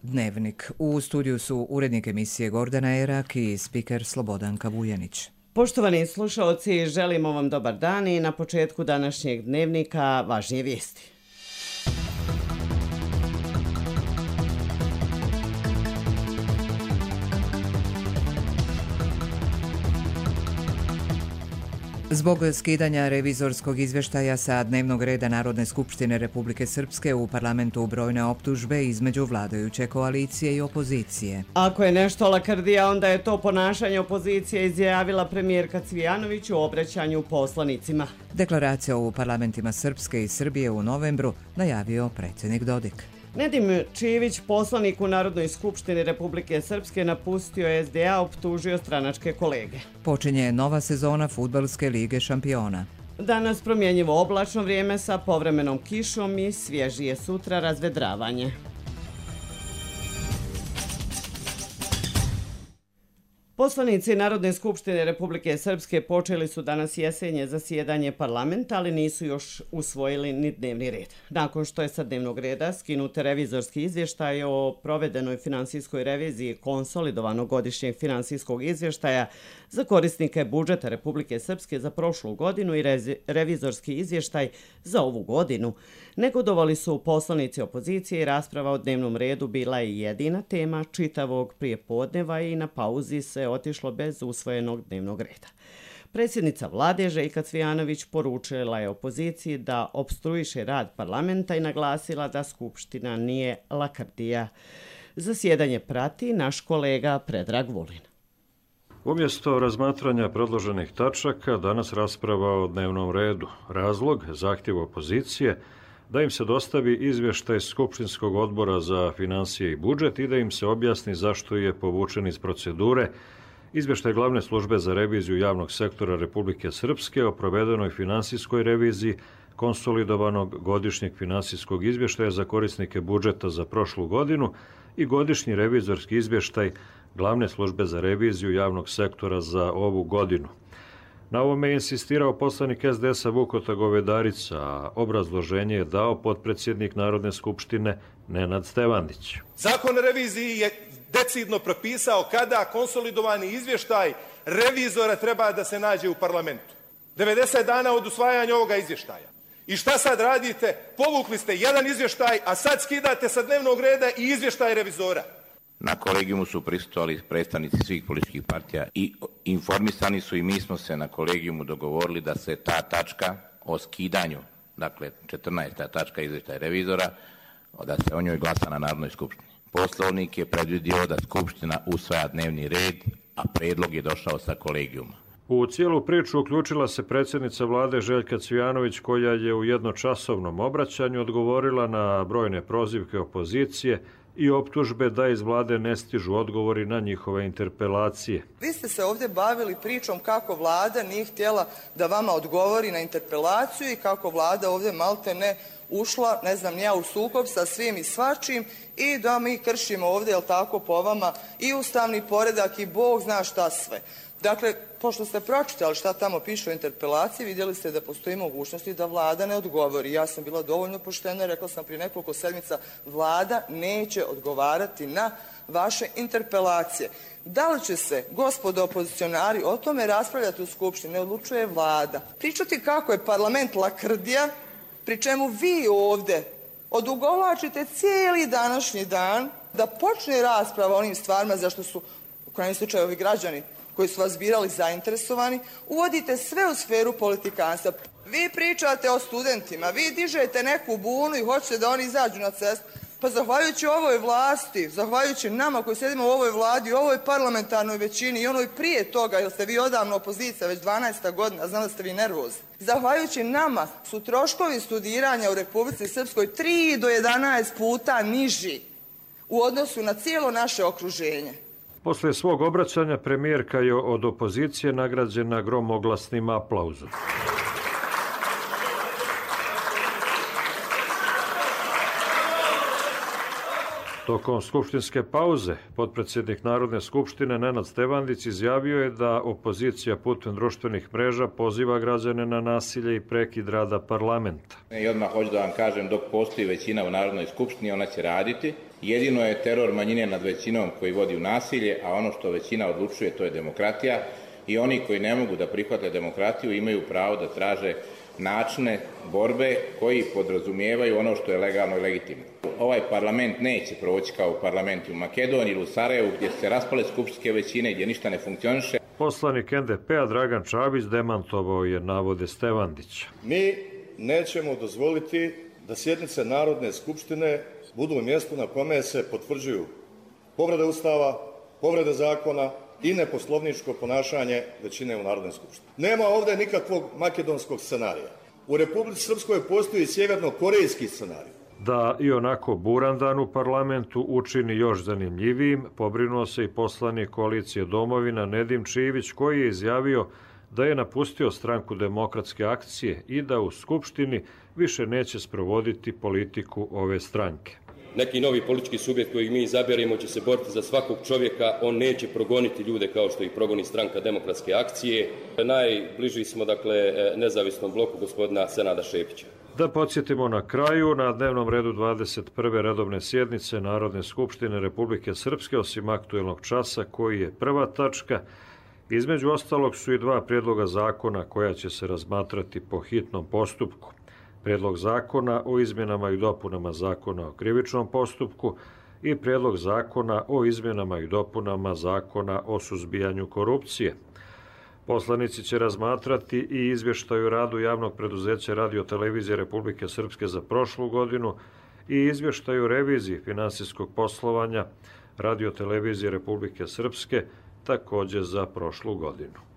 Dnevnik. U studiju su urednik emisije Gordana Erak i spiker Slobodanka Vujanić. Poštovani slušaoci, želimo vam dobar dan i na početku današnjeg dnevnika važnije vijesti. Zbog skidanja revizorskog izvještaja sa dnevnog reda Narodne skupštine Republike Srpske u parlamentu brojne optužbe između vladajuće koalicije i opozicije. Ako je nešto lakrdija, onda je to ponašanje opozicije, izjavila premijerka Cvijanović u obraćanju poslanicima. Deklaraciju u parlamentima Srpske i Srbije u novembru najavio predsjednik Dodik. Nedim Čivić, poslanik u Narodnoj skupštini Republike Srpske, napustio SDA, optužio stranačke kolege. Počinje nova sezona Fudbalske lige šampiona. Danas promjenjivo oblačno vrijeme sa povremenom kišom i svježije sutra razvedravanje. Poslanici Narodne skupštine Republike Srpske počeli su danas jesenje zasjedanje parlamenta, ali nisu još usvojili ni dnevni red. Nakon što je sa dnevnog reda skinut revizorski izvještaj o provedenoj finansijskoj reviziji konsolidovanog godišnjeg finansijskog izvještaja za korisnike budžeta Republike Srpske za prošlu godinu i revizorski izvještaj za ovu godinu, negodovali su poslanici opozicije i rasprava o dnevnom redu bila je jedina tema čitavog prijepodneva i na pauzi se otišlo bez usvojenog dnevnog reda. Predsjednica vlade Željka Cvijanović poručila je opoziciji da opstruiše rad parlamenta i naglasila da skupština nije lakrdija. Zasjedanje prati naš kolega Predrag Vulin. Umjesto razmatranja predloženih tačaka, danas rasprava o dnevnom redu. Razlog, zahtjev opozicije, da im se dostavi izvještaj Skupštinskog odbora za financije i budžet i da im se objasni zašto je povučen iz procedure izvještaj Glavne službe za reviziju javnog sektora Republike Srpske o provedenoj finansijskoj reviziji konsolidovanog godišnjeg finansijskog izvještaja za korisnike budžeta za prošlu godinu i godišnji revizorski izvještaj Glavne službe za reviziju javnog sektora za ovu godinu. Na ovome je insistirao poslanik SDS-a Vukota Govedarica, a obrazloženje je dao potpredsjednik Narodne skupštine Nenad Stevandić. Zakon o reviziji je decidno propisao kada konsolidovani izvještaj revizora treba da se nađe u parlamentu. 90 dana od usvajanja ovoga izvještaja. I šta sad radite? Povukli ste jedan izvještaj, a sad skidate sa dnevnog reda i izvještaj revizora. Na kolegijumu su prisustvovali predstavnici svih političkih partija i informisani su i mi smo se na kolegijumu dogovorili da se ta tačka o skidanju, dakle 14. tačka izvještaja revizora, da se o njoj glasa na Narodnoj skupštini. Poslovnik je predvidio da skupština usvaja dnevni red, a predlog je došao sa kolegijuma. U cijelu priču uključila se predsjednica vlade Željka Cvijanović, koja je u jednočasovnom obraćanju odgovorila na brojne prozivke opozicije i optužbe da iz vlade ne stižu odgovori na njihove interpelacije. Vi ste se ovdje bavili pričom kako vlada nije htjela da vama odgovori na interpelaciju i kako vlada ovdje malte ne ušla, ne znam ja, u sukob sa svim i svačim i da mi kršimo ovdje, jel tako, po vama i ustavni poredak i Bog zna šta sve. Dakle, pošto ste pročitali šta tamo piše o interpelaciji, vidjeli ste da postoji mogućnosti da vlada ne odgovori. Ja sam bila dovoljno poštena, rekla sam prije nekoliko sedmica, vlada neće odgovarati na vaše interpelacije. Da li će se, gospodo opozicionari, o tome raspravljati u skupštini, ne odlučuje vlada. Pričati kako je parlament lakrdija, pri čemu vi ovdje odugovlačite cijeli današnji dan da počne rasprava o onim stvarima za što su, u krajnjem slučaju, ovi građani koji su vas birali zainteresovani, uvodite sve u sferu politikanstva. Vi pričate o studentima, vi dižete neku bunu i hoćete da oni izađu na cestu. Pa zahvaljujući ovoj vlasti, zahvaljujući nama koji sjedimo u ovoj vladi, u ovoj parlamentarnoj većini i onoj prije toga, jer ste vi odavno opozicija, već 12. godina, znam da ste vi nervozni. Zahvaljujući nama su troškovi studiranja u Republici Srpskoj 3 do 11 puta niži u odnosu na cijelo naše okruženje. Poslije svog obraćanja premijerka je od opozicije nagrađena gromoglasnim aplauzom. Tokom skupštinske pauze potpredsjednik Narodne skupštine Nenad Stevandić izjavio je da opozicija putem društvenih mreža poziva građane na nasilje i prekid rada parlamenta. I odmah hoću da vam kažem, dok postoji većina u Narodnoj skupštini, ona će raditi. Jedino je teror manjine nad većinom koji vodi u nasilje, a ono što većina odlučuje to je demokratija i oni koji ne mogu da prihvate demokratiju imaju pravo da traže načine borbe koji podrazumijevaju ono što je legalno i legitimno. Ovaj parlament neće proći kao parlament u Makedoniji ili u Sarajevu gdje se raspale skupštinske većine, gdje ništa ne funkcioniše. Poslanik NDP-a Dragan Čabić demantovao je navode Stevandića. Mi nećemo dozvoliti da sjednice Narodne skupštine budu u mjestu na kome se potvrđuju povrede Ustava, povrede zakona i neposlovničko ponašanje većine u Narodnoj skupštini. Nema ovdje nikakvog makedonskog scenarija. U Republici Srpskoj postoji sjeverno-korejski scenarij. Da i onako buran dan u parlamentu učini još zanimljivijim, pobrinuo se i poslanik koalicije Domovina Nedim Čivić, koji je izjavio da je napustio stranku Demokratske akcije i da u Skupštini više neće sprovoditi politiku ove stranke. Neki novi politički subjekt kojeg mi izaberemo će se boriti za svakog čovjeka, on neće progoniti ljude kao što ih progoni stranka Demokratske akcije. Najbliži smo, nezavisnom bloku gospodina Senada Šepića. Da podsjetimo na kraju, na dnevnom redu 21. redovne sjednice Narodne skupštine Republike Srpske, osim aktuelnog časa koji je prva tačka, između ostalog su i dva prijedloga zakona koja će se razmatrati po hitnom postupku. Prijedlog zakona o izmjenama i dopunama Zakona o krivičnom postupku i Prijedlog zakona o izmjenama i dopunama Zakona o suzbijanju korupcije. Poslanici će razmatrati i izvještaj o radu javnog preduzeća Radio-televizije Republike Srpske za prošlu godinu i izvještaj o reviziji finansijskog poslovanja Radio-televizije Republike Srpske također za prošlu godinu.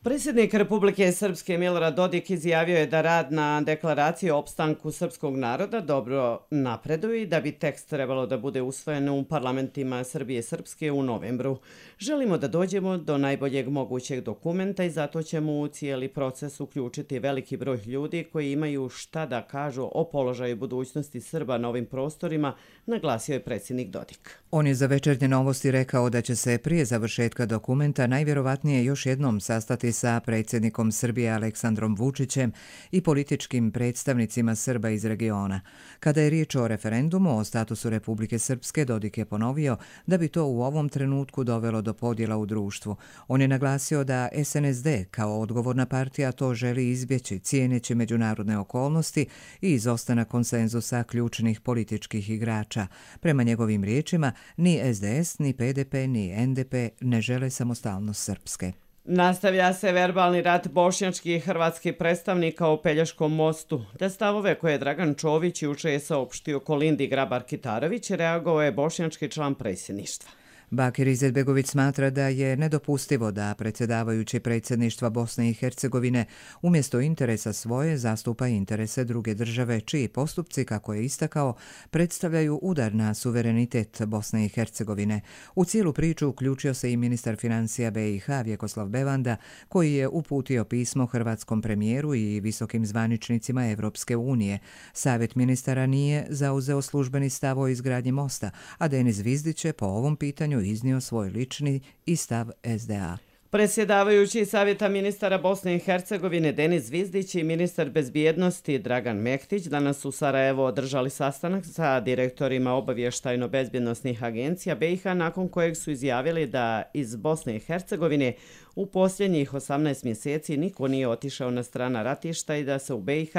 Predsjednik Republike Srpske Milorad Dodik izjavio je da rad na deklaraciji o opstanku srpskog naroda dobro napreduje i da bi tekst trebalo da bude usvojen u parlamentima Srbije i Srpske u novembru. Želimo da dođemo do najboljeg mogućeg dokumenta i zato ćemo u cijeli proces uključiti veliki broj ljudi koji imaju šta da kažu o položaju budućnosti Srba na ovim prostorima, naglasio je predsjednik Dodik. On je za Večernje novosti rekao da će se prije završetka dokumenta najvjerovatnije još jednom sastati sa predsjednikom Srbije Aleksandrom Vučićem i političkim predstavnicima Srba iz regiona. Kada je riječ o referendumu o statusu Republike Srpske, Dodik je ponovio da bi to u ovom trenutku dovelo do podjela u društvu. On je naglasio da SNSD kao odgovorna partija to želi izbjeći, cijeneći međunarodne okolnosti i izostanak konsenzusa ključnih političkih igrača. Prema njegovim riječima, ni SDS, ni PDP, ni NDP ne žele samostalnost Srpske. Nastavlja se verbalni rat bošnjačkih i hrvatskih predstavnika o Pelješkom mostu. Te stavove koje je Dragan Čović juče je saopštio Kolindi Grabar-Kitarović, reagovao je bošnjački član predsjedništva. Bakir Izetbegović smatra da je nedopustivo da predsjedavajući predsjedništva Bosne i Hercegovine umjesto interesa svoje zastupa interese druge države, čiji postupci, kako je istakao, predstavljaju udar na suverenitet Bosne i Hercegovine. U cijelu priču uključio se i ministar financija BiH Vjekoslav Bevanda, koji je uputio pismo hrvatskom premijeru i visokim zvaničnicima Evropske unije. Savjet ministara nije zauzeo službeni stav o izgradnji mosta, a Denis Zvizdić je po ovom pitanju iznio svoj lični i stav SDA. Predsjedavajući Savjeta ministara Bosne i Hercegovine Denis Zvizdić i ministar bezbjednosti Dragan Mektić danas u Sarajevo održali sastanak sa direktorima obavještajno-bezbjednosnih agencija BiH, nakon kojeg su izjavili da iz Bosne i Hercegovine u posljednjih 18 mjeseci niko nije otišao na strana ratišta i da se u BiH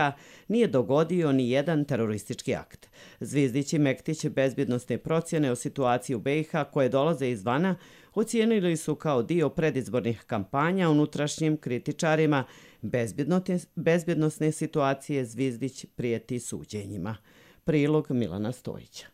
nije dogodio ni jedan teroristički akt. Zvizdić i Mektić bezbjednosne procjene o situaciji u BiH koje dolaze izvana ocijenili su kao dio predizbornih kampanja unutrašnjim kritičarima bezbjednosne situacije. Zvizdić prijeti suđenjima. Prilog Milana Stojića.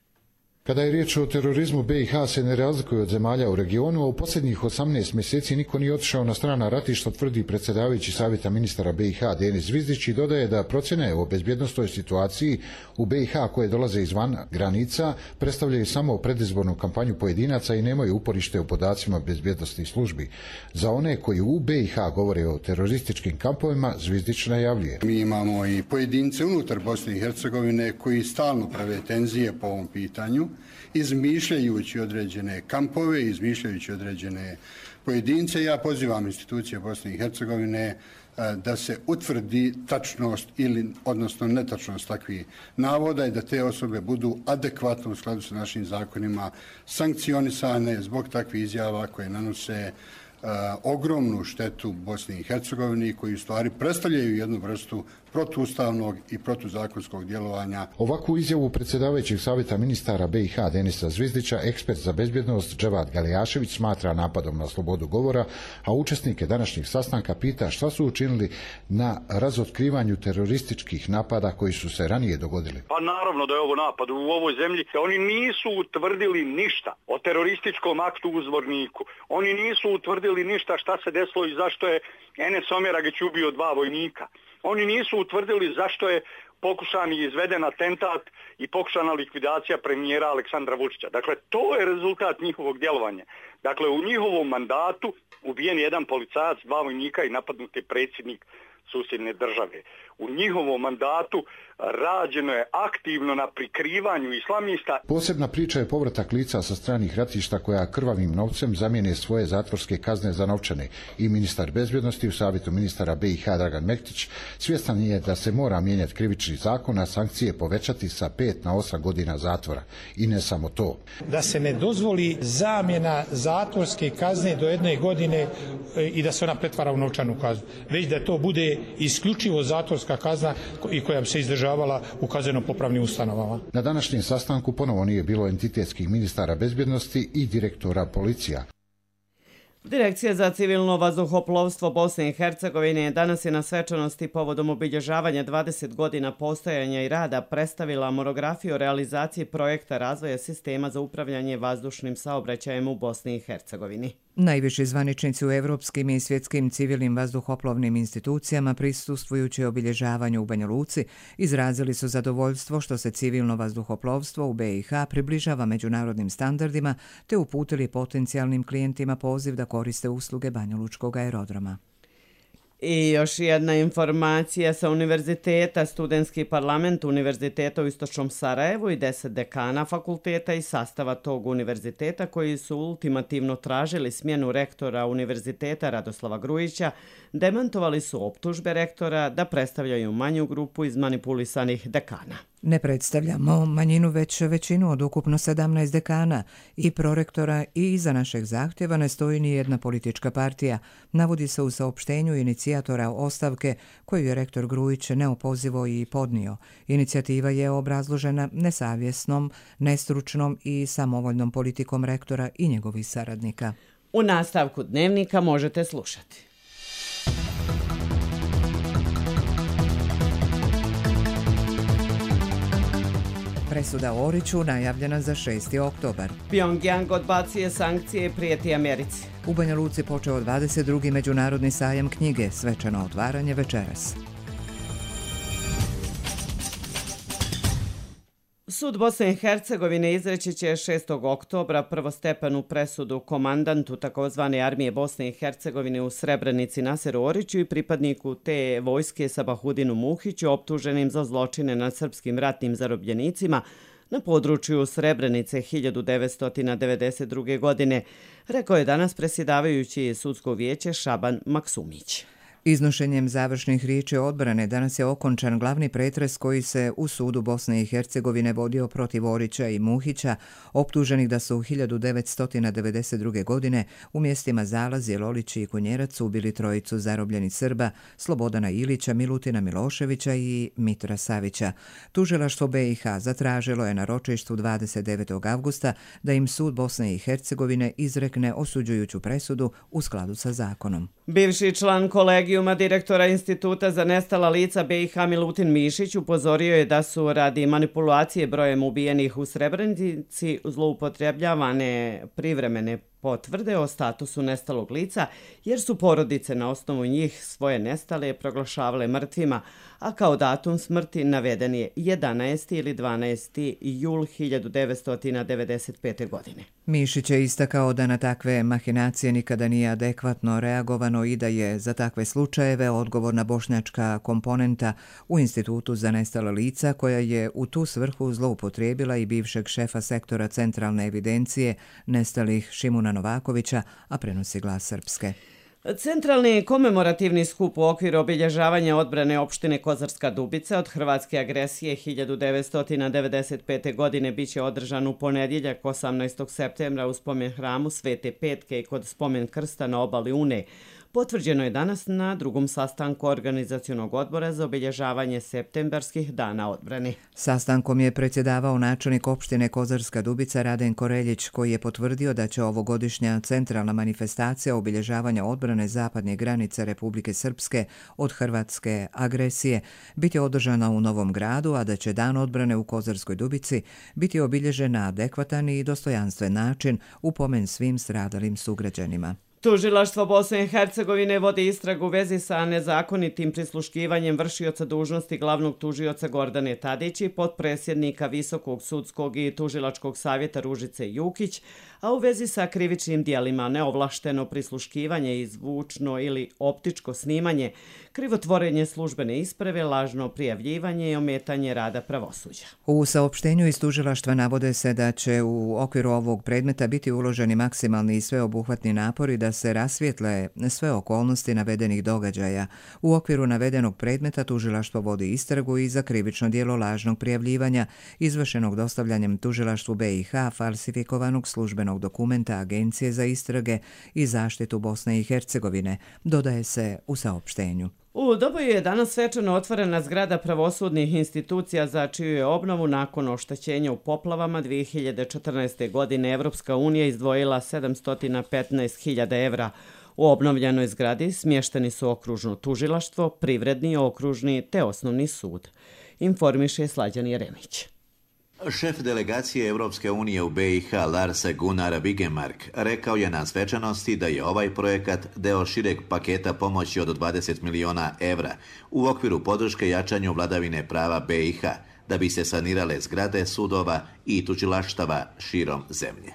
Kada je riječ o terorizmu, BiH se ne razlikuje od zemalja u regionu, a u posljednjih 18 mjeseci niko nije otišao na strana ratišta, tvrdi predsjedavajući Savjeta ministara BiH Denis Zvizdić i dodaje da procjene o bezbjednosnoj situaciji u BiH koje dolaze izvan granica predstavljaju samo predizbornu kampanju pojedinaca i nemaju uporište u podacima bezbjednosnih službi. Za one koji u BiH govore o terorističkim kampovima, Zvizdić najavljuje. Mi imamo i pojedince unutar Bosne i Hercegovine koji stalno prave tenzije po ovom pitanju. izmišljajući određene kampove, izmišljajući određene pojedince. Ja pozivam institucije Bosne i Hercegovine da se utvrdi tačnost odnosno netačnost takvih navoda i da te osobe budu adekvatno u skladu sa našim zakonima sankcionisane zbog takvih izjava koje nanose ogromnu štetu Bosni i Hercegovini, koji u stvari predstavljaju jednu vrstu protuustavnog i protuzakonskog djelovanja. Ovakvu izjavu predsjedavajućeg savjeta ministara BiH Denisa Zvizdića ekspert za bezbjednost Dževad Galijašević smatra napadom na slobodu govora, a učesnike današnjeg sastanka pita šta su učinili na razotkrivanju terorističkih napada koji su se ranije dogodili. Pa naravno da je ovo napad u ovoj zemlji. Oni nisu utvrdili ništa o terorističkom aktu u Zvorniku. Oni nisu utvrdili ništa šta se desilo i zašto je Enes Omeragić ubio 2 vojnika. Oni nisu utvrdili zašto je pokušan i izveden atentat i pokušana likvidacija premijera Aleksandra Vučića. Dakle, to je rezultat njihovog djelovanja. Dakle, u njihovom mandatu ubijen je jedan policajac, 2 vojnika i napadnut je predsjednik susjedne države. U njihovom mandatu rađeno je aktivno na prikrivanju islamista. Posebna priča je povratak lica sa stranih ratišta koja krvavim novcem zamijene svoje zatvorske kazne za novčane. I ministar bezbjednosti u savjetu ministara BiH Dragan Mektić svjestan je da se mora mijenjati krivični zakon, a sankcije povećati sa 5 na 8 godina zatvora. I ne samo to. Da se ne dozvoli zamjena zatvorske kazne do 1 godine i da se ona pretvara u novčanu kaznu, već da to bude isključivo zatvorska kazna i koja bi se izdržavala u kazneno-popravnim ustanovama. Na današnjem sastanku ponovo nije bilo entitetskih ministara bezbjednosti i direktora policija. Direkcija za civilno vazduhoplovstvo Bosne i Hercegovine danas je na svečanosti povodom obilježavanja 20 godina postojanja i rada predstavila monografiju o realizaciji projekta razvoja sistema za upravljanje vazdušnim saobraćajem u Bosni i Hercegovini. Najviši zvaničnici u evropskim i svjetskim civilnim vazduhoplovnim institucijama prisustvujući obilježavanju u Banja Luci izrazili su zadovoljstvo što se civilno vazduhoplovstvo u BiH približava međunarodnim standardima te uputili potencijalnim klijentima poziv da koriste usluge banjalučkog aerodroma. I još jedna informacija sa univerziteta. Studentski parlament Univerziteta u Istočnom Sarajevu i 10 dekana fakulteta i sastava tog univerziteta koji su ultimativno tražili smjenu rektora univerziteta Radoslava Grujića demantovali su optužbe rektora da predstavljaju manju grupu izmanipulisanih dekana. Ne predstavljamo manjinu već većinu od ukupno 17 dekana i prorektora i iza našeg zahtjeva ne stoji ni jedna politička partija, navodi se u saopštenju inicijatora ostavke koju je rektor Grujić neopozivo i podnio. Inicijativa je obrazložena nesavjesnom, nestručnom i samovoljnom politikom rektora i njegovih saradnika. U nastavku dnevnika možete slušati. Presuda Oriću najavljena za 6. oktobar. Pyongyang odbacuje sankcije i prijeti Americi. U Banja Luci počeo 22. međunarodni sajam knjige, svečano otvaranje večeras. Sud Bosne i Hercegovine izreći će 6. oktobra prvostepenu presudu komandantu takozvane armije Bosne i Hercegovine u Srebrenici Naseru Oriću i pripadniku te vojske Sabahudinu Muhiću optuženim za zločine nad srpskim ratnim zarobljenicima na području Srebrenice 1992. godine, rekao je danas predsjedavajući sudsko vijeće Šaban Maksumić. Iznošenjem završnih riječi odbrane danas je okončan glavni pretres koji se u sudu Bosne i Hercegovine vodio protiv Orića i Muhića, optuženih da su 1992. godine u mjestima Zalaz, Jelolić i Kunjerac ubili trojicu zarobljenih Srba, Slobodana Ilića, Milutina Miloševića i Mitra Savića. Tužilaštvo BiH zatražilo je na ročištu 29. avgusta da im sud Bosne i Hercegovine izrekne osuđujuću presudu u skladu sa zakonom. Bivši član kolegijuma direktora Instituta za nestala lica BiH Milutin Mišić upozorio je da su radi manipulacije brojem ubijenih u Srebrenici zloupotrebljavane privremene potvrde o statusu nestalog lica, jer su porodice na osnovu njih svoje nestale proglašavale mrtvima, a kao datum smrti naveden je 11. ili 12. jul 1995. godine. Mišić je istakao da na takve mahinacije nikada nije adekvatno reagovano i da je za takve slučajeve odgovorna bošnjačka komponenta u Institutu za nestala lica, koja je u tu svrhu zloupotrijebila i bivšeg šefa sektora centralne evidencije nestalih Šimuna Novakovića, a prenosi Glas Srpske. Centralni komemorativni skup u okviru obilježavanja odbrane opštine Kozarska Dubica od hrvatske agresije 1995. godine biće održan u ponedjeljak 18. septembra u spomen hramu Svete Petke i kod spomen krsta na obali Une. Potvrđeno je danas na drugom sastanku organizacionog odbora za obilježavanje septembarskih dana odbrane. Sastankom je predsjedavao načelnik opštine Kozarska Dubica Radenko Reljić, koji je potvrdio da će ovogodišnja centralna manifestacija obilježavanja odbrane zapadne granice Republike Srpske od hrvatske agresije biti održana u Novom Gradu, a da će dan odbrane u Kozarskoj Dubici biti obilježen na adekvatan i dostojanstven način u pomen svim stradalim sugrađanima. Tužilaštvo Bosne i Hercegovine vodi istragu u vezi sa nezakonitim prisluškivanjem vršioca dužnosti glavnog tužioca Gordane Tadić i potpredsjednika Visokog sudskog i tužilačkog savjeta Ružice Jukić, a u vezi sa krivičnim dijelima neovlašteno prisluškivanje i zvučno ili optičko snimanje, krivotvorenje službene isprave, lažno prijavljivanje i ometanje rada pravosuđa. U saopštenju iz tužilaštva navode se da će u okviru ovog predmeta biti uloženi maksimalni i sveobuhvatni napori da se rasvijetle sve okolnosti navedenih događaja. U okviru navedenog predmeta tužilaštvo vodi istragu i za krivično djelo lažnog prijavljivanja izvršenog dostavljanjem tužilaštvu BiH falsifikovanog službenog dokumenta Agencije za istrage i zaštitu Bosne i Hercegovine, dodaje se u saopštenju. U Doboju je danas svečano otvorena zgrada pravosudnih institucija za čiju je obnovu nakon oštećenja u poplavama 2014. godine Evropska unija izdvojila 715.000 evra. U obnovljenoj zgradi smješteni su okružno tužilaštvo, privredni, okružni te osnovni sud. Informiše Slađan Jeremić. Šef delegacije Evropske unije u BiH Lars Gunnar Bigemark rekao je na svečanosti da je ovaj projekat deo šireg paketa pomoći od 20 miliona evra u okviru podrške jačanju vladavine prava BiH da bi se sanirale zgrade sudova i tužilaštava širom zemlje.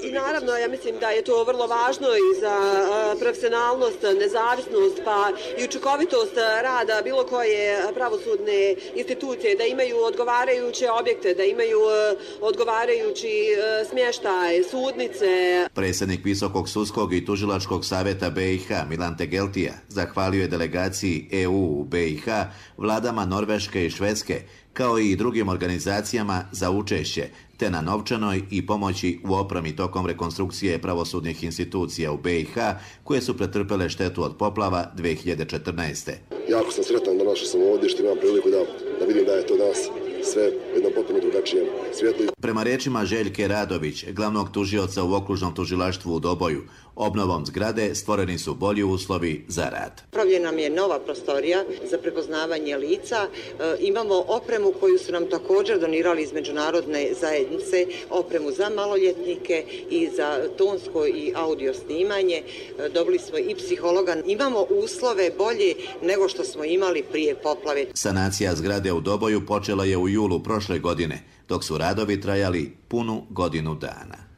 I naravno, ja mislim da je to vrlo važno i za profesionalnost, nezavisnost, pa i učinkovitost rada bilo koje pravosudne institucije, da imaju odgovarajuće objekte, da imaju odgovarajući smještaj, sudnice. Predsjednik Visokog sudskog i tužilačkog savjeta BiH Milan Tegeltija zahvalio je delegaciji EU u BiH, vladama Norveške i Švedske, kao i drugim organizacijama za učešće, te na novčanoj i pomoći u opremi tokom rekonstrukcije pravosudnih institucija u BiH, koje su pretrpele štetu od poplava 2014. Jako sam sretan da našao sam ovdje što imam priliku da vidim da je to danas sve jedno potpuno drugačijem svijetlu. Prema riječima Željke Radović, glavnog tužioca u okružnom tužilaštvu u Doboju, obnovom zgrade stvoreni su bolji uslovi za rad. Pravljena nam je nova prostorija za prepoznavanje lica. Imamo opremu koju su nam također donirali iz međunarodne zajednice, opremu za maloljetnike i za tonsko i audio snimanje. Dobili smo i psihologa. Imamo uslove bolje nego što smo imali prije poplave. Sanacija zgrade u Doboju počela je u julu prošle godine, dok su radovi trajali punu godinu dana.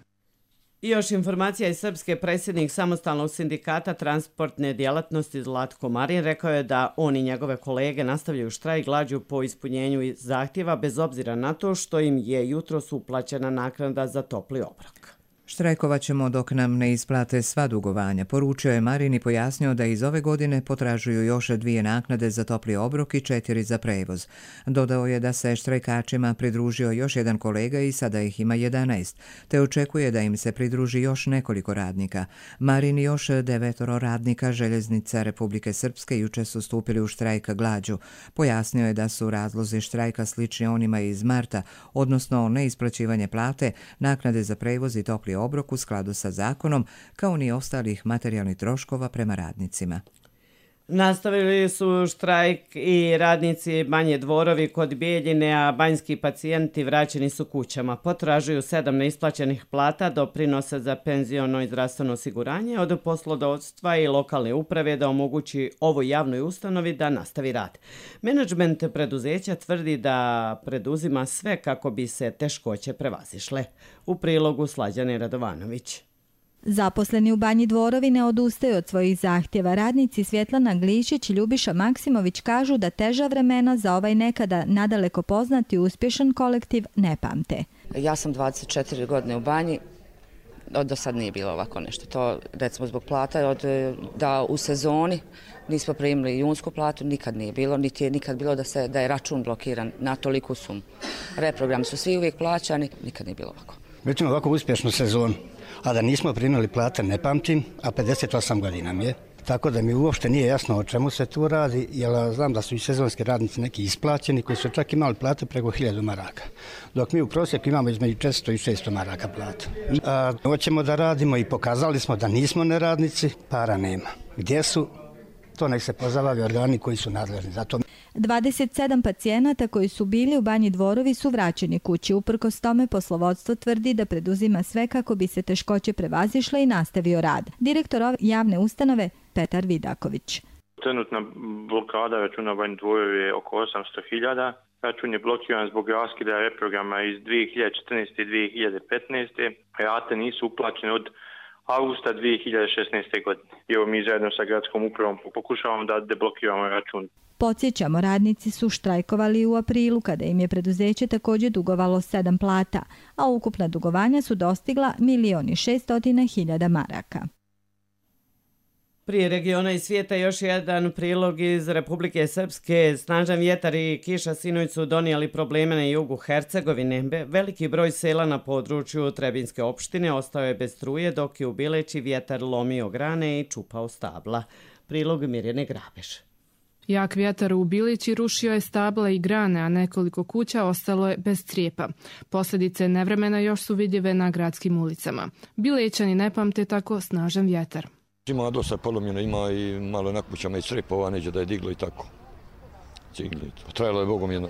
I još informacija iz Srpske. Predsjednik samostalnog sindikata transportne djelatnosti Zlatko Marin rekao je da on i njegove kolege nastavljaju štrajk glađu po ispunjenju zahtjeva bez obzira na to što im je jutros uplaćena naknada za topli obrok. Štrajkovat ćemo dok nam ne isplate sva dugovanja, poručio je Marin i pojasnio da iz ove godine potražuju još 2 naknade za topli obrok i 4 za prevoz. Dodao je da se štrajkačima pridružio još jedan kolega i sada ih ima 11, te očekuje da im se pridruži još nekoliko radnika. Marin i još 9 radnika Željeznica Republike Srpske juče su stupili u štrajk glađu. Pojasnio je da su razlozi štrajka slični onima iz marta, odnosno neisplaćivanje plate, naknade za prevoz i topli obrok u skladu sa zakonom, kao ni ostalih materijalnih troškova prema radnicima. Nastavili su štrajk i radnici Banje Dvorovi kod Bijeljine, a banjski pacijenti vraćeni su kućama. Potražuju 7 neisplaćenih plata, doprinose za penziono i zdravstveno osiguranje od poslodavstva i lokalne uprave da omogući ovoj javnoj ustanovi da nastavi rad. Menadžment preduzeća tvrdi da preduzima sve kako bi se teškoće prevazišle. U prilogu Slađane Radovanović. Zaposleni u Banji Dvorovi ne odustaju od svojih zahtjeva. Radnici Svjetlana Glišić i Ljubiša Maksimović kažu da teža vremena za ovaj nekada nadaleko poznati i uspješan kolektiv ne pamte. Ja sam 24 godine u Banji, do sad nije bilo ovako nešto. To recimo zbog plata, da u sezoni nismo primili junsku platu, nikad nije bilo, niti je nikad bilo da je račun blokiran na toliku sumu. Reprogrami su svi uvijek plaćani, nikad nije bilo ovako. Već imamo ovako uspješnu sezonu, a da nismo primili plate ne pamtim, a 58 godina mi je. Tako da mi uopšte nije jasno o čemu se tu radi, jer znam da su i sezonski radnici neki isplaćeni koji su čak imali plate preko 1000 maraka. Dok mi u prosjeku imamo između 400 i 600 maraka plata. Hoćemo da radimo i pokazali smo da nismo neradnici, para nema. Gdje su? To nek se pozabavi organi koji su nadležni za to. 27 pacijenata koji su bili u Banji Dvorovi su vraćeni kući. Uprkos tome poslovodstvo tvrdi da preduzima sve kako bi se teškoće prevazišle i nastavio rad. Direktor javne ustanove Petar Vidaković. Trenutna blokada računa Banji Dvorovi je oko 800.000. Račun je blokiran zbog raskida reprograma iz 2014. i 2015. Rate nisu uplaćene od augusta 2016. godine. I evo mi zajedno sa gradskom upravom pokušavamo da deblokiramo račun. Podsjećamo, radnici su štrajkovali u aprilu kada im je preduzeće također dugovalo 7 plata, a ukupna dugovanja su dostigla 1.600.000 maraka. Prije regiona i svijeta još jedan prilog iz Republike Srpske. Snažan vjetar i kiša sinoć su donijeli probleme na jugu Hercegovine. Veliki broj sela na području Trebinjske opštine ostao je bez struje, dok je u Bileći vjetar lomio grane i čupao stabla. Prilog Mirjane Grabeš. Jak vjetar u Bilići rušio je stabla i grane, a nekoliko kuća ostalo je bez crijepa. Posljedice nevremena još su vidljive na gradskim ulicama. Bilećani ne pamte tako snažan vjetar. Ima dosta polomljeno, ima i malo na kućama i crepova, neđe da je diglo i tako. Cigli. Trajalo je Bogom jedno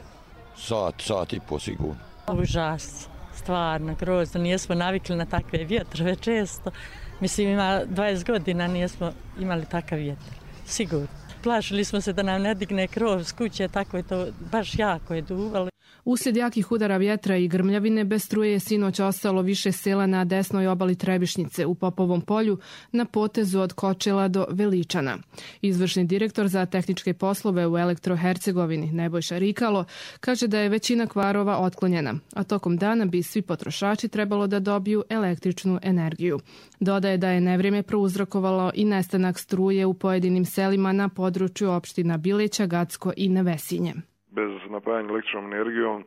sat i po sigurno. Užas, stvarno, grozno. Nijesmo navikli na takve vjetrove često. Mislim, ima 20 godina nijesmo imali takav vjetar. Sigurno. Plašili smo se da nam ne digne krov s kuće, tako je to baš jako je duvalo. Uslijed jakih udara vjetra i grmljavine bez struje je sinoć ostalo više sela na desnoj obali Trebišnjice u Popovom polju na potezu od Kočela do Veličana. Izvršni direktor za tehničke poslove u Elektro-Hercegovini Nebojša Rikalo kaže da je većina kvarova otklonjena, a tokom dana bi svi potrošači trebalo da dobiju električnu energiju. Dodaje da je nevrijeme prouzrokovalo i nestanak struje u pojedinim selima na području opština Bileća, Gacko i Nevesinje. Bez napajanja električnom energijom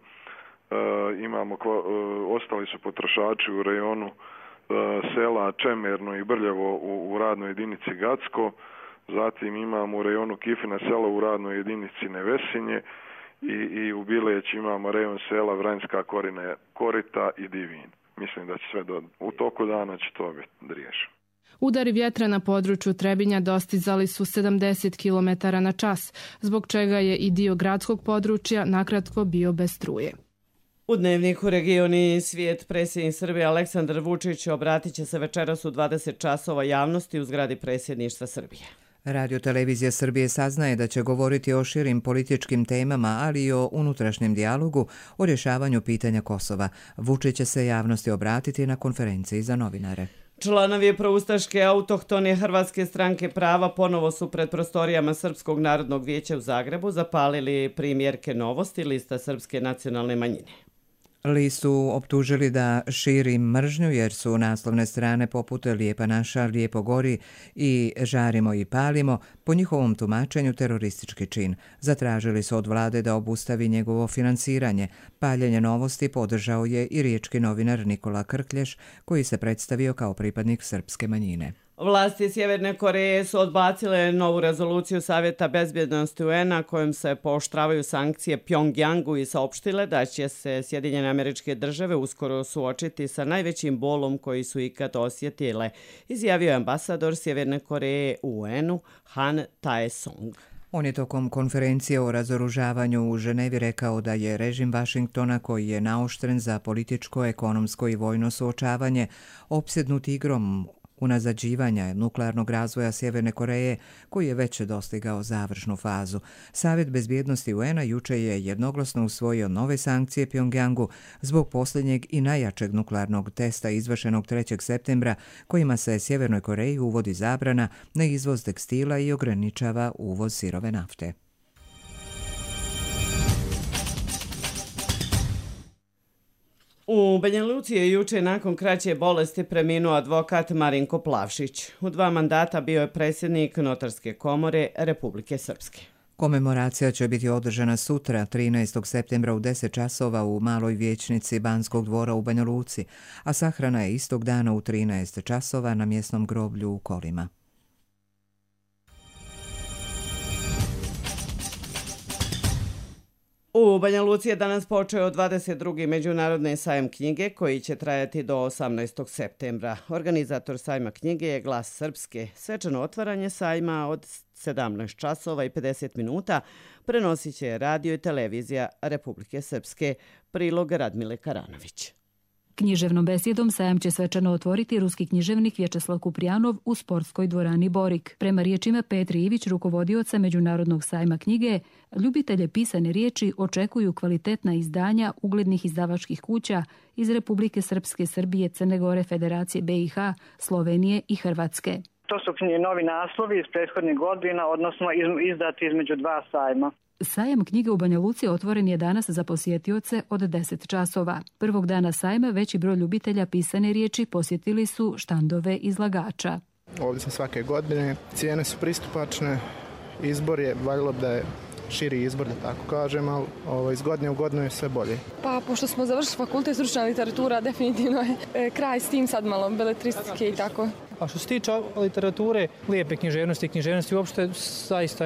ostali su potrošači u rejonu sela Čemerno i Brljevo u radnoj jedinici Gacko, zatim imamo u rejonu Kifina sela u radnoj jedinici Nevesinje i u Bileć imamo rejon sela Vranjska Korita i Divin. Mislim da će sve u toku dana će to biti riješeno. Udari vjetra na području Trebinja dostizali su 70 km na čas, zbog čega je i dio gradskog područja nakratko bio bez struje. U Dnevniku regioni svijet predsjednik Srbije Aleksandar Vučić obratit će se večeras u 20 časova javnosti u zgradi predsjedništva Srbije. Radio-televizija Srbije saznaje da će govoriti o širim političkim temama, ali i o unutrašnjem dijalogu o rješavanju pitanja Kosova. Vučić će se javnosti obratiti na konferenciji za novinare. Članovi proustaške autohtone Hrvatske stranke prava ponovo su pred prostorijama Srpskog narodnog vijeća u Zagrebu zapalili primjerke Novosti, lista Srpske nacionalne manjine. Listu optužili da širi mržnju jer su naslovne strane poput Lijepa naša, Lijepo gori i Žarimo i palimo po njihovom tumačenju teroristički čin. Zatražili su od vlade da obustavi njegovo finansiranje. Paljenje Novosti podržao je i riječki novinar Nikola Krklješ, koji se predstavio kao pripadnik srpske manjine. Vlasti Sjeverne Koreje su odbacile novu rezoluciju Savjeta bezbjednosti UN-a kojom se pooštravaju sankcije Pjongjangu i saopštile da će se Sjedinjene Američke Države uskoro suočiti sa najvećim bolom koji su ikad osjetile, izjavio je ambasador Sjeverne Koreje u UN-u Han Tae-song. On je tokom konferencije o razoružavanju u Ženevi rekao da je režim Vašingtona, koji je naoštren za političko, ekonomsko i vojno suočavanje, opsjednut igrom unazađivanja nuklearnog razvoja Sjeverne Koreje, koji je već dostigao završnu fazu. Savjet bezbjednosti UN-a juče je jednoglasno usvojio nove sankcije Pjongjangu zbog posljednjeg i najjačeg nuklearnog testa izvršenog 3. septembra, kojima se Sjevernoj Koreji uvodi zabrana na izvoz tekstila i ograničava uvoz sirove nafte. U Banja Luci je juče nakon kraće bolesti preminuo advokat Marinko Plavšić. U 2 mandata bio je predsjednik Notarske komore Republike Srpske. Komemoracija će biti održana sutra, 13. septembra u 10 časova u Maloj vijećnici Banskog dvora u Banja Luci, a sahrana je istog dana u 13 časova na mjesnom groblju u Kolima. U Banja Luci je danas počeo 22. međunarodni sajam knjige koji će trajati do 18. septembra. Organizator sajma knjige je Glas Srpske. Svečano otvaranje sajma od 17 časova i 50 minuta prenosit će radio i televizija Republike Srpske. Prilog Radmile Karanović. Književnom besedom sajam će svečano otvoriti ruski književnik Vječeslav Kuprijanov u sportskoj dvorani Borik. Prema riječima Petri Ivić, rukovodioca Međunarodnog sajma knjige, ljubitelje pisane riječi očekuju kvalitetna izdanja uglednih izdavačkih kuća iz Republike Srpske, Srbije, Crne Gore, Federacije BiH, Slovenije i Hrvatske. To su novi naslovi iz prethodnih godina, odnosno izdati između 2 sajma. Sajam knjige u Banja Luci otvoren je danas za posjetioce od 10 časova. Prvog dana sajma veći broj ljubitelja pisane riječi posjetili su štandove izlagača. Ovdje sam svake godine, cijene su pristupačne, izbor je, valjalo bi da je širi izbor, da tako kažem, ali iz godine u godinu je sve bolje. Pa, pošto smo završili fakultet stručna literatura, definitivno je kraj s tim sad malo beletristike i tako. A što se tiče literature, lijepe književnosti uopšte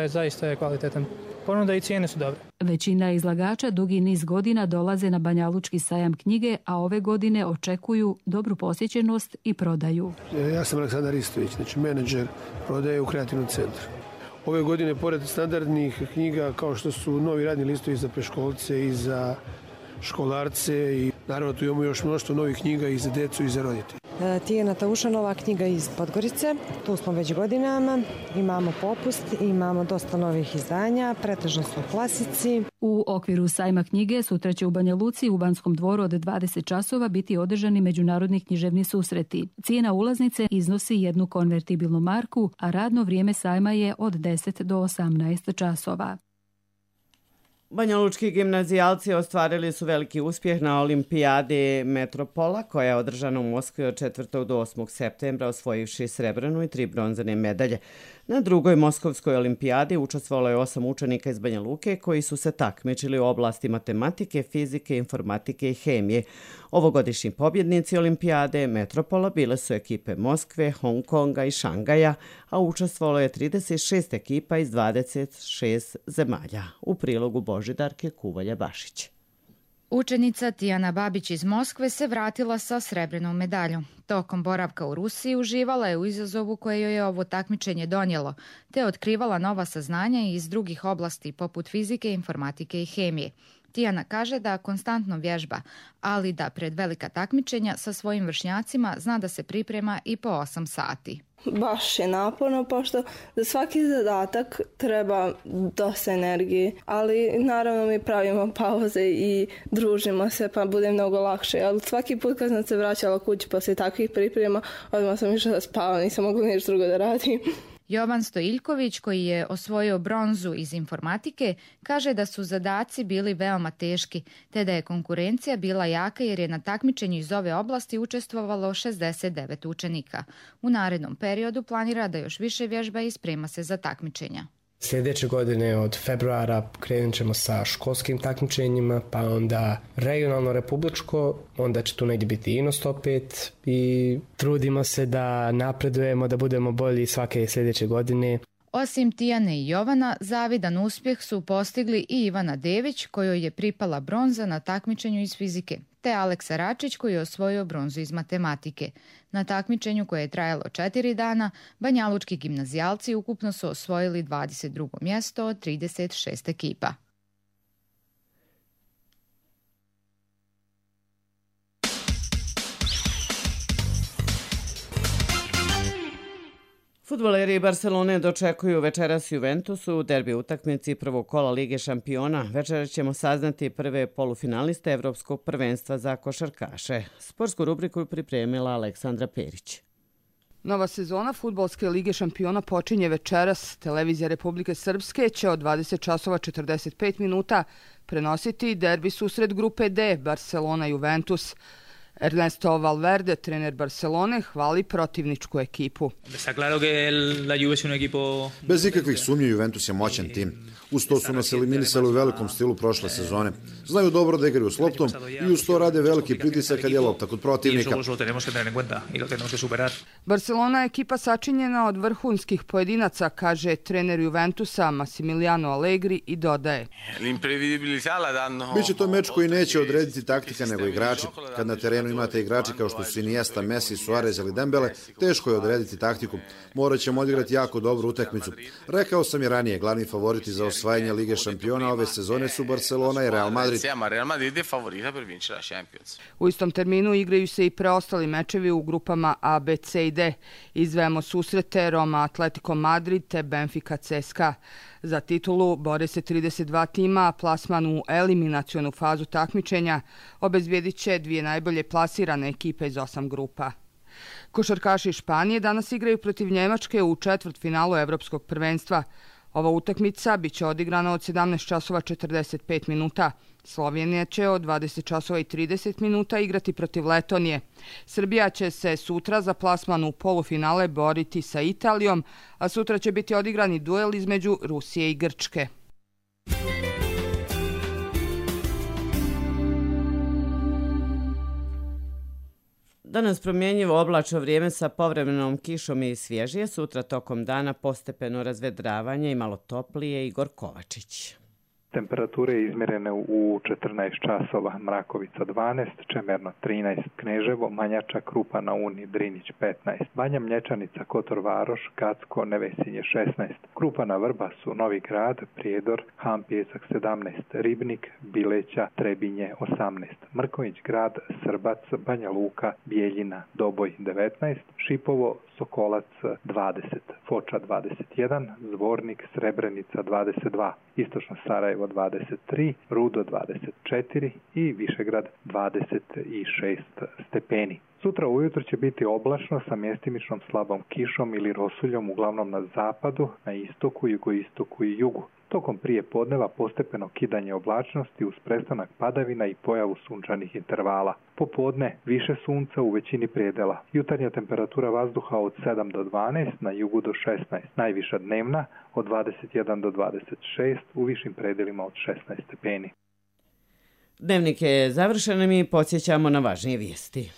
zaista je kvalitetan. Ponuda i cijene su dobre. Većina izlagača dugi niz godina dolaze na Banjalučki sajam knjige, a ove godine očekuju dobru posjećenost i prodaju. Ja sam Aleksandar Istović, znači menadžer prodaje u Kreativnom centru. Ove godine, pored standardnih knjiga kao što su novi radni listovi za preškolce i za školarce i naravno tu imamo još mnoštvo novih knjiga i za decu i za roditelje. Tijana Taušanova, knjiga iz Podgorice, tu smo već godinama, imamo popust, imamo dosta novih izdanja, pretežno su klasici. U okviru sajma knjige sutra će u Banja Luci u Banskom dvoru od 20 časova biti održani međunarodni književni susreti. Cijena ulaznice iznosi 1 konvertibilnu marku, a radno vrijeme sajma je od 10 do 18 časova. Banjalučki gimnazijalci ostvarili su veliki uspjeh na olimpijadi Metropola koja je održana u Moskvi od 4. do 8. septembra osvojivši srebrnu i 3 bronzane medalje. Na drugoj Moskovskoj olimpijadi učestvovalo je 8 učenika iz Banja Luke koji su se takmičili u oblasti matematike, fizike, informatike i hemije. Ovogodišnji pobjednici olimpijade Metropola bile su ekipe Moskve, Hong Konga i Šangaja, a učestvovalo je 36 ekipa iz 26 zemalja. U prilogu Božidarke Kuvalja-Bašić. Učenica Tijana Babić iz Moskve se vratila sa srebrnom medaljom. Tokom boravka u Rusiji uživala je u izazovu koje joj je ovo takmičenje donijelo, te otkrivala nova saznanja iz drugih oblasti poput fizike, informatike i hemije. Tijana kaže da konstantno vježba, ali da pred velika takmičenja sa svojim vršnjacima zna da se priprema i po 8 sati. Baš je naporno, pošto za svaki zadatak treba dosta energije, ali naravno mi pravimo pauze i družimo se pa bude mnogo lakše. Ali svaki put kad sam se vraćala kući poslije takvih priprema, odmah sam išla da spavam, nisam mogla ništa drugo da radim. Jovan Stojiljković, koji je osvojio bronzu iz informatike, kaže da su zadaci bili veoma teški, te da je konkurencija bila jaka jer je na takmičenju iz ove oblasti učestvovalo 69 učenika. U narednom periodu planira da još više vježba i sprema se za takmičenja. Sljedeće godine od februara krenut ćemo sa školskim takmičenjima, pa onda regionalno republičko, onda će tu negdje biti Inost opet i trudimo se da napredujemo, da budemo bolji svake sljedeće godine. Osim Tijane i Jovana, zavidan uspjeh su postigli i Ivana Dević, kojoj je pripala bronza na takmičenju iz fizike, te Aleksa Račić koji je osvojio bronzu iz matematike. Na takmičenju koje je trajalo 4 dana, banjalučki gimnazijalci ukupno su osvojili 22. mjesto od 36 ekipa. Fudbaleri Barcelone dočekuju večeras Juventus u derbi utakmici prvog kola Lige šampiona. Večeras ćemo saznati prve polufinaliste Evropskog prvenstva za košarkaše. Sportsku rubriku je pripremila Aleksandra Perić. Nova sezona Fudbalske lige šampiona počinje večeras. Televizija Republike Srpske će od 20:45 minuta prenositi derbi susret grupe D Barcelona-Juventus. Ernesto Valverde, trener Barcelone, hvali protivničku ekipu. Bez ikakvih sumnji Juventus je moćan tim. Uz to su nas eliminisali u velikom stilu prošle sezone. Znaju dobro da igraju s loptom i uz to rade veliki pritisak kad je lopta kod protivnika. Barcelona je ekipa sačinjena od vrhunskih pojedinaca, kaže trener Juventusa Massimiliano Allegri i dodaje. Biće to meč koji neće odrediti taktika nego igrači. Kad na terenu imate igrači kao što su Iniesta, Messi, Suarez ili Dembele, teško je odrediti taktiku. Morat ćemo odigrati jako dobru utakmicu. Rekao sam i ranije, glavni favoriti za osvajanje Lige šampiona ove sezone su Barcelona i Real Madrid. U istom terminu igraju se i preostali mečevi u grupama A, B, C i D. Izdvajamo susrete Roma, Atletico Madrid te Benfica CSKA. Za titulu bore se 32 tima, a plasman u eliminacionu fazu takmičenja obezbijedit će dvije najbolje plasirane ekipe iz 8 grupa. Košarkaši Španije danas igraju protiv Njemačke u četvrtfinalu Evropskog prvenstva. Ova utakmica biće odigrana od 17:45 minuta. Slovenija će od 20:30 minuta igrati protiv Letonije. Srbija će se sutra za plasman u polufinale boriti sa Italijom, a sutra će biti odigrani duel između Rusije i Grčke. Danas promjenjivo oblačno vrijeme sa povremenom kišom i svježije, sutra tokom dana postepeno razvedravanje i malo toplije. Igor Kovačić. Temperature izmjerene u 14 časova, Mrakovica 12, Čemerno 13, Kneževo, Manjača, Krupa na Uni, Drinić 15, Banja Mlječanica, Kotor Varoš, Gacko, Nevesinje 16, Krupa na Vrbasu, Novi Grad, Prijedor, Ham Pjesak 17, Ribnik, Bileća, Trebinje 18, Mrković Grad, Srbac, Banja Luka, Bijeljina, Doboj 19, Šipovo, Sokolac 20, Foča 21, Zvornik, Srebrenica 22, Istočno Sarajevo 23, Rudo 24 i Višegrad 26 stepeni. Sutra ujutro će biti oblačno sa mjestimičnom slabom kišom ili rosuljom uglavnom na zapadu, na istoku, jugoistoku i jugu. Tokom prije podneva postepeno kidanje oblačnosti uz prestanak padavina i pojavu sunčanih intervala. Popodne više sunca u većini predela. Jutarnja temperatura vazduha od 7 do 12, na jugu do 16. Najviša dnevna od 21 do 26, u višim predelima od 16 stepeni. Dnevnik je završen, mi podsjećamo na važnije vijesti.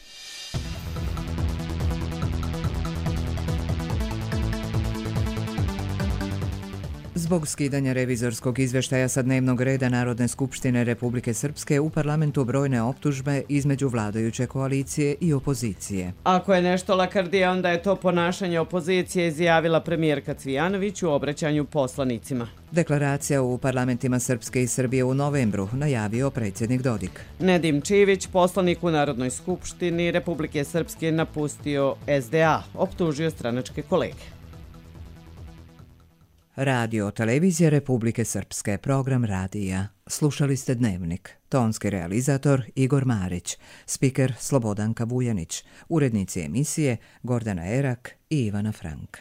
Zbog skidanja revizorskog izvještaja sa dnevnog reda Narodne skupštine Republike Srpske u parlamentu brojne optužbe između vladajuće koalicije i opozicije. Ako je nešto lakrdija, onda je to ponašanje opozicije, izjavila premijerka Cvijanović u obraćanju poslanicima. Deklaracija u parlamentima Srpske i Srbije u novembru najavio predsjednik Dodik. Nedim Čivić, poslanik u Narodnoj skupštini Republike Srpske, napustio SDA, optužio stranačke kolege. Radio televizija Republike Srpske, program radija. Slušali ste Dnevnik. Tonski realizator Igor Marić, spiker Slobodanka Vujanić, urednici emisije Gordana Erak i Ivana Frank.